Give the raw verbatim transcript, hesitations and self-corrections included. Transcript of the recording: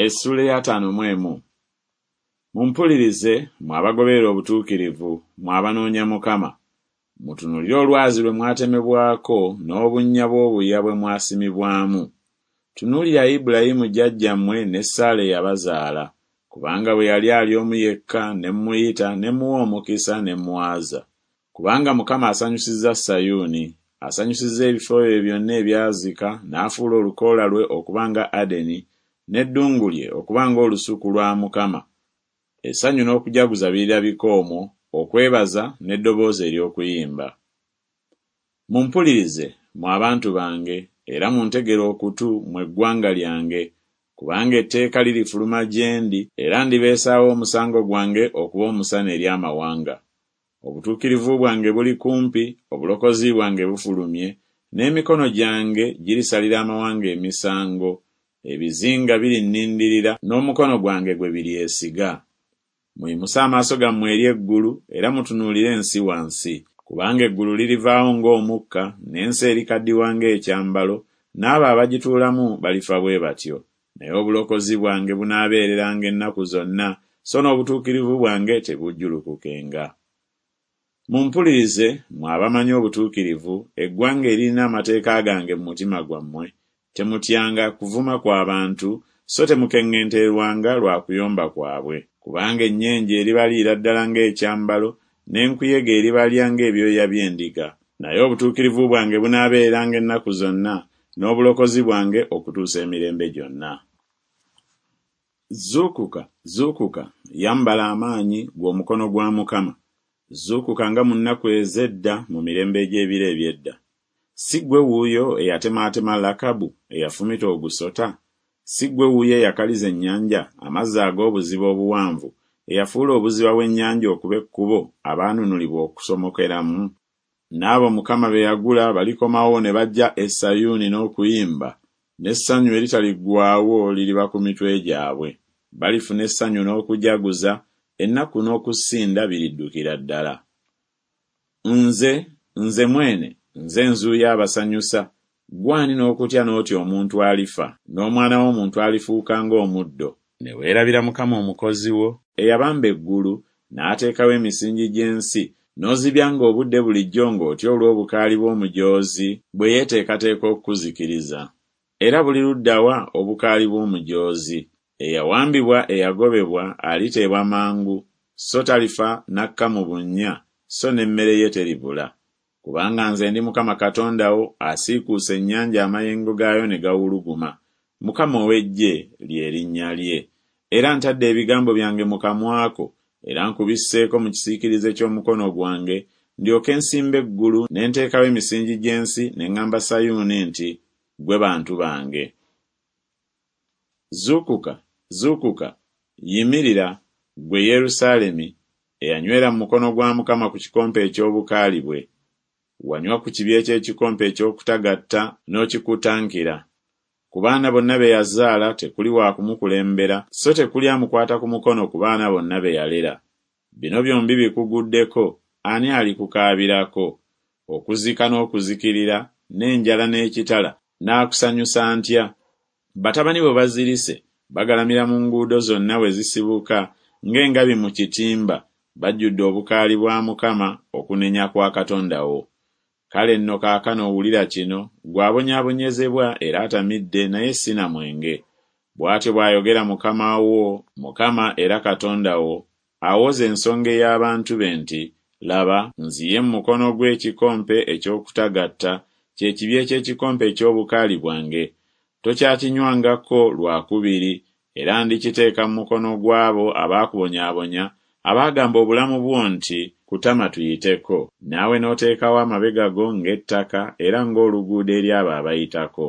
Essuula ey'ataano mu emu. Mumpulirize, mmwe abagoberera obutuukirivu, mmwe abanoonya Mukama. Mutunuulire olwazi lwe mwatemebwako n'obunnya bw'obuya bwe mwasimibwamu. Tunuulira Ibulayimu jjajjammwe ne Saala eyabazaala, kubanga bwe yali ali omu yekka ne mmuyita ne mmuwa omukisa ne mmwaza. Kubanga Mukama asanyusizza Sayuuni, asanyusizza ebifo bye byonna ebyazika n'afuula olukoola lwe okuba nga Adeni, n'eddungu lye okuba ng'olusuku lwa Mukama. Essanyu n'okujaguza birirabika omwo, okwebaza n'eddoboozi ery'okuyimba. Mumpulirize, mmwe abantu bange, era muntegere okutu, mmwe eggwanga lyange, kubanga etteeka lirifuluma gye ndi, era ndibeesaawo omusango gwange okuba omusana eri amawanga. Obutuukirivu bwange buli kumpi, obulokozi bwange bufulumye, n'emikono gyange girisalira amawanga emisango, ebizinga birinnindirira, n'omukono gwange gwe biryesiga. Muyimuse amaaso gammwe eri eggulu, era mutunuulire ensi wansi, kubanga eggulu lirivaawo ng'omukka, n'ensi erikaddiwa ng'ekyambalo, n'abo abagituulamu balifa bwe batyo. Naye obulokozi bwange bunaabeereranga ennaku zonna, so n'obutuukirivu bwange tebujjulukukenga. Mumpulirize, mmwe abamanyi obutuukirivu, eggwanga eririna amateeka gange mu mutima gwammwe. Temutyanga kuvuma kwa bantu, so temukeŋŋentererwanga lwa kuyomba kwabwe. Kubanga ennyenje eribaliira ddala ng'ekyambalo, n'enkuyege eribalya ng'ebyoya by'endiga. Naye obutuukirivu bwange bunaabeereranga ennaku zonna, n'obulokozi bwange okutuusa emirembe gyonna. Zuukuka, zuukuka, yambala amaanyi, ggwe omukono gwa Mukama. Zuukuka nga mu nnaku ez'edda, mu mirembe egy'ebiro eby'edda. Si ggwe wuuyo eyatemaatema Lakabu, eyafumita ogusota? Si ggwe wuuyo eyakaliza ennyanja, amazzi ag'obuziba obuwanvu, eyafuula obuziba bw'ennyanja okuba ekkubo abaanunulibwa okusomokeramu? N'abo Mukama be yagula balikomawo ne bajja e Sayuuni n'okuyimba, n'essanyu eritaliggwaawo liriba ku mitwe gyabwe. Balifuna essanyu n'okujaguza, ennaku n'okusinda biriddukira ddala. Nze, nze mwene, nze nzuuyo abasanyusa, ggwe ani n'okutya n'otya omuntu alifa, n'omwana w'omuntu alifuuka ng'omuddo? Ne weerabira Mukama Omukozi wo, eyabamba eggulu, n'ateekawo emisingi gy'ensi, n'ozibyanga obudde bulijjo ng'otya olw'obukaali bw'omujoozi bwe yeeteekateeka okukuzikiriza. Era buli ludda wa obukaali bw'omujoozi? Eyawambibwa eyagobebwa aliteebwa mangu, so talifa n'akka mu bunnya, so n'emmere ye teribula. Kubanga nze ndi Mukama Katonda wo asiikuusa ennyanja amayengo gaayo ne gawuluguma. Mukama ow'eggye lye linnya lye. Era ntadde ebigambo byange mu kamwa ko, era nkubisseeko mu kisiikirize ky'omukono gwange, ndyoke nsimbe eggulu ne nteekawo emisingi gy'ensi ne ŋŋamba Sayuuni nti, Ggwe bantu bange. Zuukuka, zuukuka, yimirira, ggwe Yerusaalemi, eyanywera mu mukono gwa Mukama ku kikompe eky'obukaali bwe. Wanywa ku kibya eky'ekikompe eky'okutagatta n'okikutankira. Ku baana bonna be yazaala tekuli wa kumukulembera, so tekuli amukwata ku mukono ku baana bonna be yalera. Bino byombi bikuguddeko, ani alikukaabirako? Okuzika n'okuzikirira, n'enjala n'ekitala, naakusanyusa ntya? Batabani bo bazirise, bagalamira mu nguudo zonna we zisibuka ng'engabi mu kitimba, bajjudde obukaali bwa Mukama, okunenya kwa Katonda wo. Kale nno kaakano wulira kino, ggwe abonyaabonyezebwa era atamidde naye si na mwenge. Bw'atyo bw'ayogera Mukama wo, Mukama era Katonda wo, awoza ensonga ey'abantu be nti, Laba, nziye mu mukono gwe ekikompe eky'okutagatta, kye kibya eky'ekikompe eky'obukaali bwange. Tokyakinywangako lwa kubiri, era ndikiteeka mu mukono gw'abo abaakubonyaabonya, abaagamba obulamu bwo nti, Kutama tuyiteko. Naawe n'oteekawo amabega go ng'ettaka era ng'oluguudo eri abo abayitako.